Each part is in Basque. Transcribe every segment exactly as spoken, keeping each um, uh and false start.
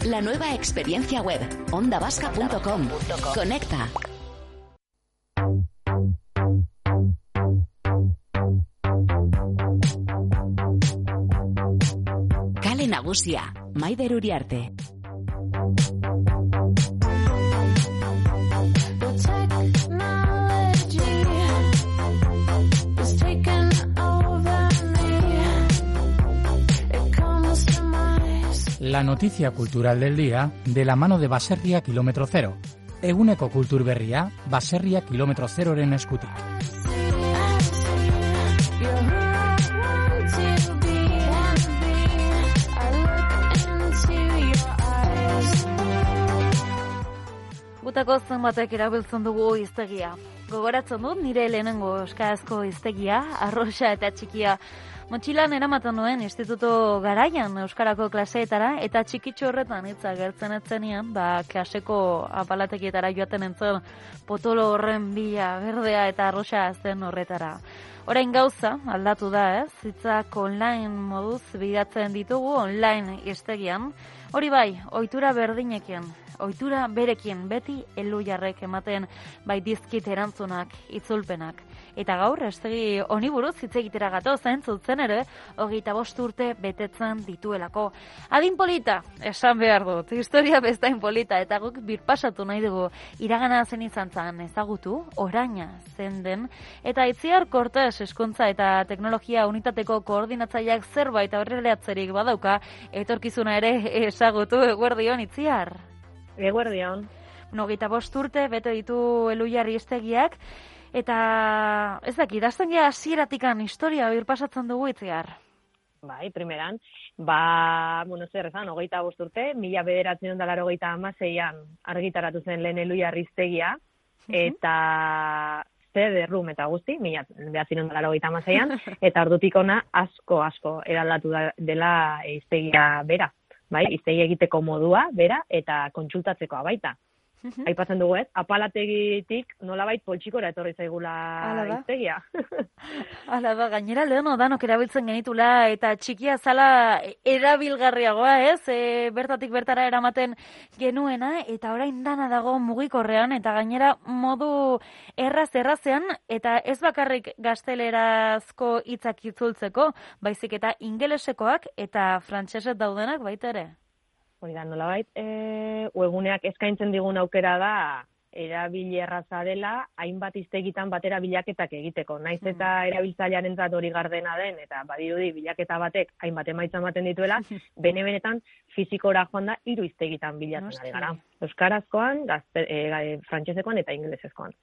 La nueva experiencia web, onda vasca punto com. Conecta. Kale Nagusia, Maider Uriarte. La noticia cultural del día de la mano de Baserria Kilómetro Cero. Eguneko kultur berria, Baserria Kilómetro Zeroren eskutik. Gutako zenbatek erabiltzen dugu hiztegia. Gogoratzen dut nire lehenengo euskarazko hiztegia, arroxa eta txikia. Motxilan eramaten nuen instituto garaian euskarako klaseetara, eta txikitxo horretan hitza gertzen etzenean, ba, klaseko apalatekietara joaten entzen potolo horren bila, berdea eta arroxa zen horretara. Orain gauza, aldatu da, ez? Hitzak online moduz bidatzen ditugu online hiztegian. Hori bai, ohitura berdinekin, ohitura berekin beti ellujarrek ematen bai dizkit erantzunak, itzulpenak. Eta gaur, estegi honi buruz hitz egitera gatoz zutzen ere, hogeita bost urte betetzen dituelako. Adin polita, esan behar dut, historia bestain polita, eta guk birpasatu nahi dugu iragana zen izan zan ezagutu, oraina zen den, eta Itziar Kortes hezkuntza eta teknologia unitateko koordinatzaileak zerbait aurreratzerik badauka, etorkizuna ere ezagutu. Eguerdion, Itziar? Eguerdion. Hogeita bost urte bete ditu Ellujarri hiztegiak, eta ez dakit, idazten gea hasieratikan historia birpasatzen dugu, Itziar. Bai, primeran, ba, bueno, zer esan, hogeita bost urte, mila bederatzen ondala hogeita hamaseian argitaratu zen lehen Ellujarri hiztegia, eta zer derrum eta guzti, mila bederatzen ondala hogeita hamaseian, eta ordutik ona asko, asko eraldatu dela hiztegia bera. Bai, hiztegia egiteko modua, bera, eta kontsultatzekoa baita. Aipatzen dugu ez, apalategitik nolabait poltsikora etorri zaigula hiztegia. Hala da, gainera leheno danok erabiltzen genitula, eta txikia zala erabilgarriagoa ez, e, bertatik bertara eramaten genuena, eta orain dana dago mugikorrean, eta gainera modu erraz-errazean, eta ez bakarrik gaztelerazko hitzak itzultzeko, baizik eta ingelesekoak eta frantseset daudenak baita ere. Hori da, nolabait, e, webguneak eskaintzen digun aukera da, erabili erraza dela, hainbat hiztegitan batera bilaketak egiteko. Naiz eta erabiltzailearentzat hori gardena den, eta badirudi bilaketa batek hainbat emaitza ematen dituela, bene-benetan fizikora joan da hiru hiztegitan bilatzen ari gara. Euskarazkoan, gazte, e, frantsesekoan eta ingelesezkoan.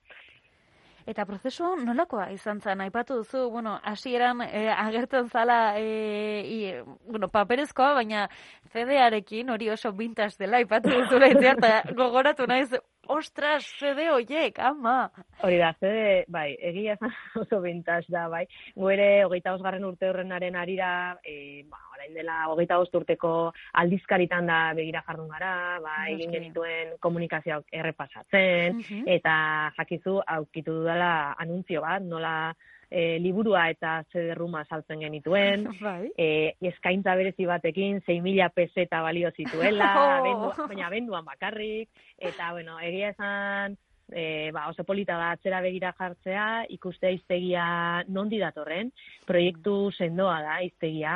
Eta prozesu nolakoa izan zen, aipatu duzu, bueno, hasieran e, agertzen zala, e, i, bueno, paperezkoa, baina C D-arekin hori oso vintage dela, aipatu duzu lehitzea, eta gogoratu naiz, ostras, C D horiek, ama! Hori da, C D, bai, egia esan oso vintage da, bai. Gu ere, hogeita bosgarren urte horrenaren arira, e, ba, orain dela, hogeita bost urteko aldizkaritan da begira jardun gara, ba, egin genituen komunikazioak errepasatzen, uh-huh. eta jakizu, aukitu dudala anuntzio bat, nola e, liburua eta zederruma saltzen genituen, bai. e, eskaintza berezi batekin, sei mila peseta balio zituela, oh. abendu, baina abenduan bakarrik, eta, bueno, egia esan, E, ba, oso polita da atzera begira jartzea, ikustea hiztegia nondi datorren, proiektu sendoa da hiztegia,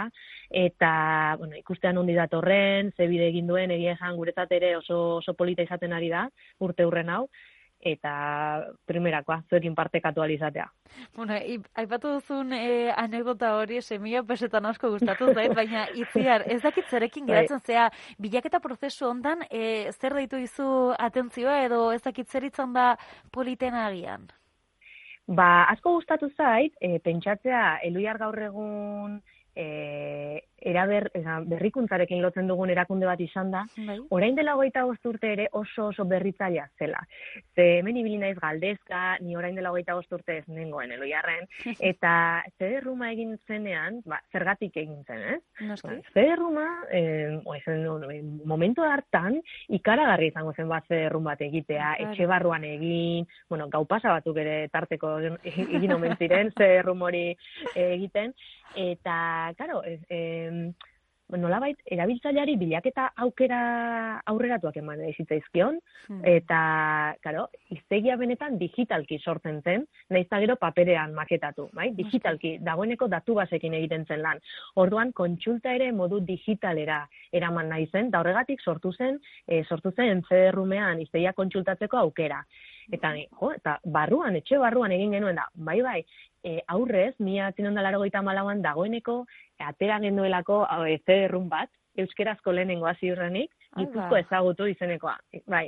eta bueno, ikustea nondi datorren, ze bide egin duen, egia esan guretzat ere oso, oso polita izaten ari da, urte hurren hau, eta primerakoa, zuekin partekatu alizatea. Bueno, aipatu duzun e, anekdota hori, semila pesetan asko gustatu zait, baina Itziar, ez dakit zerekin geratzen zea, bilaketa prozesu hondan, e, zer deitu dizu atentzioa, edo ez dakit zer itzan da politena agian? Ba, asko gustatu zait, e, pentsatzea, Ellujar gaur egun e, eraber, berrikuntzarekin lotzen dugun erakunde bat izan da, bai. Orain dela hogeita bost urte ere oso oso berritzailea zela. Ze hemen ibili naiz galdezka, ni orain dela hogeita bost urte ez nengoen Ellujarren, eta zederruma egin zenean, ba, zergatik egin zen, ez? Ba, zederruma, eh, eh, momentu hartan, ikaragarri izango zen bat zederrum bat egitea, claro. Etxe barruan egin, bueno, gau pasa batzuk ere tarteko egin omen ziren zederrum hori egiten, eta, claro, eh, nolabait erabiltzaileari bilaketa aukera aurreratuak eman zitzaizkion, hmm. eta, claro, hiztegia benetan digitalki sortzen zen, nahiz eta gero paperean maketatu, bai? Digitalki, dagoeneko datu basekin egiten zen lan. Orduan, kontsulta ere modu digitalera eraman nahi zen, da horregatik sortu zen, e, sortu zen C D-rumean hiztegia kontsultatzeko aukera. Eta, jo, eta barruan, etxe barruan egin genuen da, bai, bai, e, aurrez, mila bederatziehun eta laurogeita hamalauan dagoeneko, atera genuelako e, C D-run bat, euskerazko lehenengoa ziurrenik, Gipuzko ezagutu izenekoa, bai.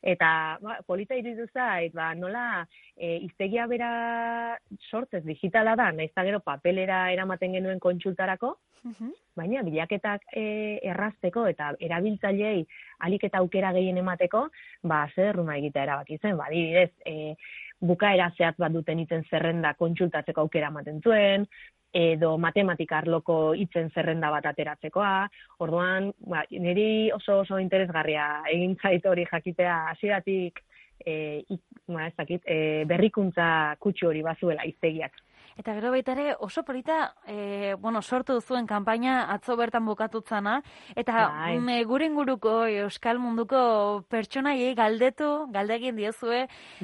Eta ba, polita iruditu zait, ba, nola e, hiztegia bera sortzez digitala da, nahiz eta gero papelera eramaten genuen kontsultarako, uh-huh. baina bilaketak e, errazteko eta erabiltzaileei ahalik eta aukera gehien emateko, ba, zerruna egitea erabaki zen, ba, adibidez, e, bukaera zehatz bat duten hitzen zerrenda kontsultatzeko aukera ematen zuen, edo matematika arloko hitzen zerrenda bat ateratzekoa. Orduan, ba, niri oso oso interesgarria egin zait hori jakitea hasieratik e, ba, ez dakit, e, berrikuntza kutsu hori bazuela hiztegiak. Eta gero baita ere oso polita, e, bueno, sortu zuen kanpaina atzo bertan bukatutzana, eta me, gure inguruko euskal munduko pertsonaiei galdetu, galdegin diezue,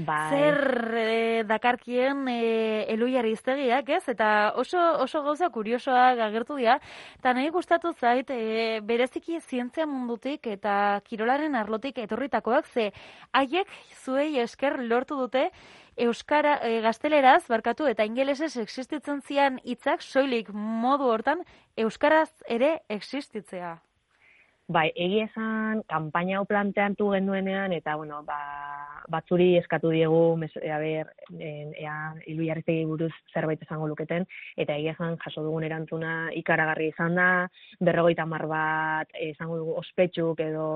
bai. zer e, dakarkien e, Elhuyar hiztegiak, ez? Eta oso oso gauza kuriosoak agertu dira, eta nahi gustatu zait, e, bereziki zientzia mundutik eta kirolaren arlotik etorritakoak, ze haiek zuei esker lortu dute, Euskara, e, gazteleraz, barkatu, eta ingelesez existitzen zian hitzak soilik modu hortan, euskaraz ere existitzea. Bai, egia esan, kanpaina hau planteatu genuenean, eta, bueno, ba, batzuri eskatu diegu, mes, a ber, ea, Elhuyar hiztegiei buruz zerbait esango luketen, eta egia esan, jaso dugun erantzuna ikaragarri izan da, berrogeita hamar bat, esango dugu, ospetsuk edo,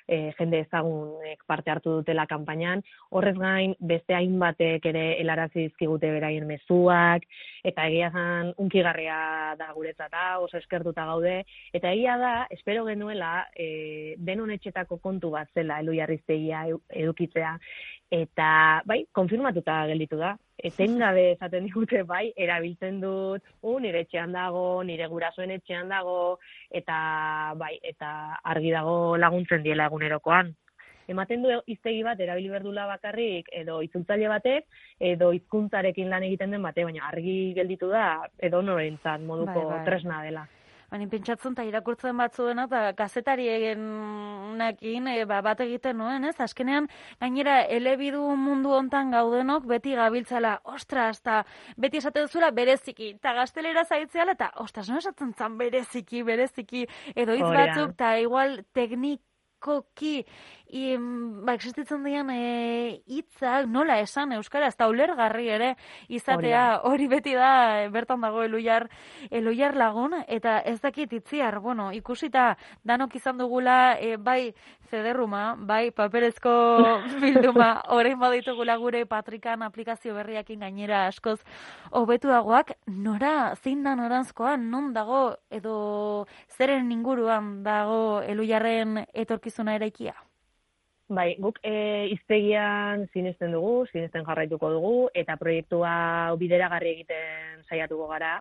E, jende ezagunek parte hartu dutela kanpainan, horrez gain beste hainbatek ere helarazi dizkigute beraien mezuak, eta egia zan unkigarria da guretzat, oso eskertuta gaude, eta egia da, espero genuela, e, denon etxetako kontu bat zela Elhuyar hiztegia edukitzea, eta bai, konfirmatuta gelditu da. Etengabe esaten digute, bai, erabiltzen dut, u, nire etxean dago, nire gurasoen etxean dago, eta bai, eta argi dago laguntzen diela egunerokoan. Ematen du hiztegi bat erabili berdula bakarrik, edo itzultzaile batek, edo hizkuntzarekin lan egiten den bate, baina argi gelditu da, edo norentzat moduko bai, bai. tresna dela. Baina pentsatzen eta irakurtzen batzuena, eta gazetarienekin e, ba, bat egiten nuen, ez? Azkenean, gainera, elebidu mundu hontan gaudenok beti gabiltzala, ostras, eta beti esaten zula bereziki, eta gaztelera zaitzeala, eta ostras, no esatzen zan bereziki, bereziki, edo hitz batzuk, eta igual teknikoki, I, ba, existitzen dian hitzak e, nola esan euskara, ez da ulergarri ere izatea, hori beti da e, bertan dago Elhuyar, Elhuyar lagun, eta ez dakit itziar, bueno, ikusita danok izan dugula, e, bai zederruma, bai paperezko bilduma, orain baditugula gure Patrikan aplikazio berriakin gainera askoz hobetuagoak, nora, zein da noranzkoa, non dago, edo zeren inguruan dago Elhuyarren etorkizuna eraikia? Bai, guk e, hiztegian sinesten dugu, sinesten jarraituko dugu, eta proiektua bideragarri egiten saiatuko gara,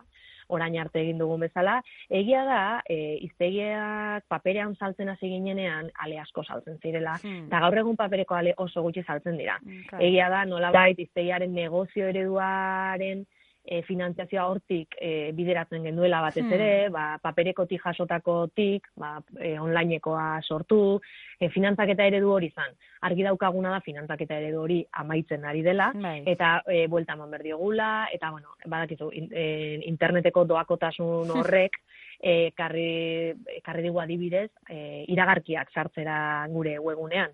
orain arte egin dugun bezala. Egia da, e, hiztegiak paperean saltzen hasi ginenean, ale asko saltzen zirela, hmm. eta gaur egun papereko ale oso gutxi saltzen dira. Okay. Egia da, nolabait hiztegiaren negozio ereduaren E, finantziazioa hortik e, bideratzen genuela batez ere, hmm. ba, paperekotik jasotakotik, ba, e, onlinekoa sortu, e, finantzaketa eredu hori izan. Argi daukaguna da finantzaketa eredu hori amaitzen ari dela, Bye. eta e, buelta eman berdiogula, eta bueno, badakizu, in, e, interneteko doakotasun horrek, e, karri, karri digu adibidez, e, iragarkiak sartzera gure webgunean.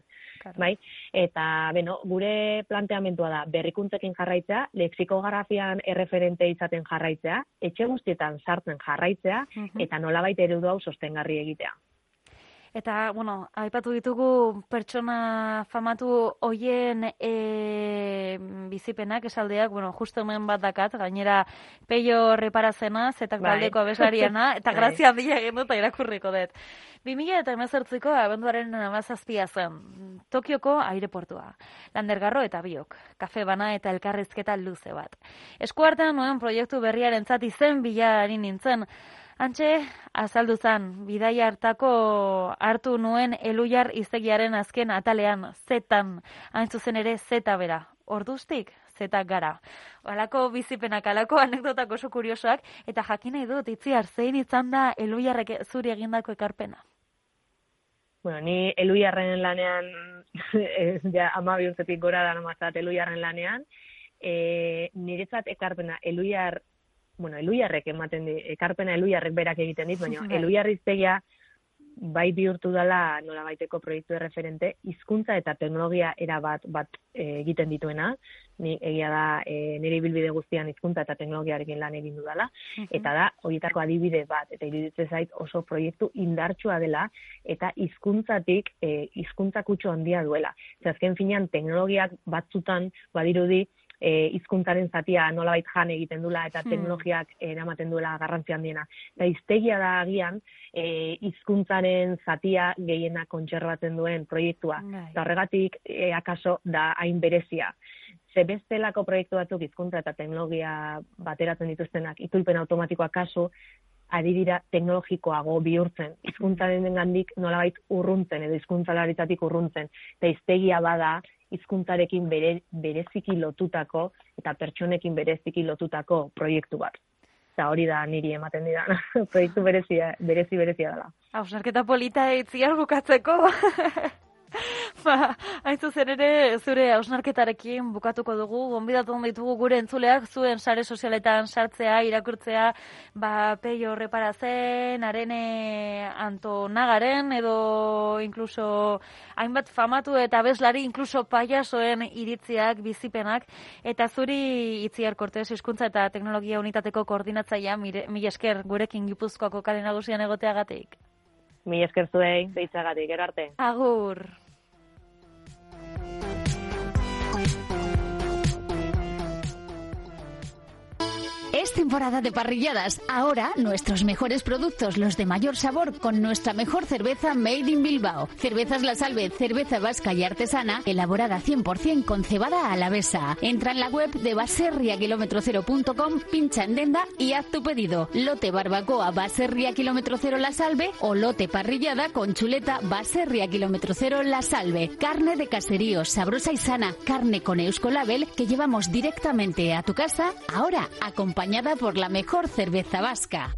Bai? Eta, beno, gure planteamentua da berrikuntzekin jarraitzea, lexikografian erreferente izaten jarraitzea, etxe guztietan sartzen jarraitzea, uh-huh. eta nolabait eredu hau sostengarri egitea. Eta, bueno, aipatu ditugu pertsona famatu hoien e, bizipenak, esaldeak, bueno, justo hemen bat dakat, gainera Peio Reparazena, zetak taldeko abeslariana, eta grazia handia egin dut, eta irakurriko dut. bi mila hemezortziko abenduaren hamazazpia zen, Tokioko aireportua, Landergarro eta biok, kafe bana eta elkarrizketa luze bat. Eskuartean nuen proiektu berriarentzat izen bila ari nintzen, Antxe, azaldu zan, bidaia hartako hartu nuen Eluiar hiztegiaren azken atalean, zetan, hain zuzen ere zeta bera. Orduztik, zetak gara. Halako bizipenak, halako anekdotak oso kuriosoak, eta jakin nahi dut, Itziar, zein izan da Eluiarrek zuri egindako ekarpena? Bueno, ni Eluiarren lanean, ja, ama bi urtetik gora da namazat Eluiarren lanean, e, niretzat ekarpena Eluiar, bueno, Eluiarrek ematen di, ekarpena Eluiarrek berak egiten dit, baina Eluiar hiztegia bai bihurtu dela nola baiteko proiektu referente, hizkuntza eta teknologia era bat bat e, egiten dituena, ni egia da e, nire ibilbide guztian hizkuntza eta teknologiarekin lan egin dudala, uh-huh. eta da horietako adibide bat, eta iruditzen zait oso proiektu indartsua dela, eta hizkuntzatik e, hizkuntza kutsu handia duela. Azken finean teknologiak batzutan badirudi E, hizkuntzaren zatia nolabait jan egiten dula eta teknologiak eramaten duela garrantzi handiena. Eta hiztegia da agian e, hizkuntzaren zatia gehiena kontserbatzen duen proiektua. Eta horregatik e, akaso da hain berezia. Ze bestelako proiektu batzuk hizkuntza eta teknologia bateratzen dituztenak itzulpen automatikoa kasu ari dira teknologikoago bihurtzen. Hizkuntzaren gandik nolabait urruntzen edo hizkuntzalaritzatik urruntzen. Eta hiztegia bada hizkuntzarekin bere, bereziki lotutako eta pertsonekin bereziki lotutako proiektu bat. Eta hori da niri ematen didana. Proiektu berezia, berezi berezia dela. Hausnarketa polita Itziar bukatzeko. Ba, hain zuzen ere, zure hausnarketarekin bukatuko dugu, gonbidatu ditugu gure entzuleak, zuen sare sozialetan sartzea, irakurtzea, ba, Peio Reparazen, Arene Antonagaren, edo inkluso hainbat famatu eta abeslari, inkluso paiasoen iritziak, bizipenak, eta zuri Itziar Kortes, hizkuntza eta teknologia unitateko koordinatzailea, mila esker gurekin Gipuzkoako kale nagusian egoteagatik. Mila esker zuei, deitzagatik, gero arte. Agur. Es temporada de parrilladas. Ahora, nuestros mejores productos, los de mayor sabor, con nuestra mejor cerveza Made in Bilbao. Cervezas La Salve, cerveza vasca y artesana, elaborada cien por ciento con cebada alavesa. Entra en la web de baserria kilómetro cero punto com, pincha en Denda y haz tu pedido. Lote barbacoa Baserria kilómetro cero La Salve o lote parrillada con chuleta Baserria kilómetro cero La Salve. Carne de caserío, sabrosa y sana. Carne con Euskolabel que llevamos directamente a tu casa, ahora acompañada por la mejor cerveza vasca.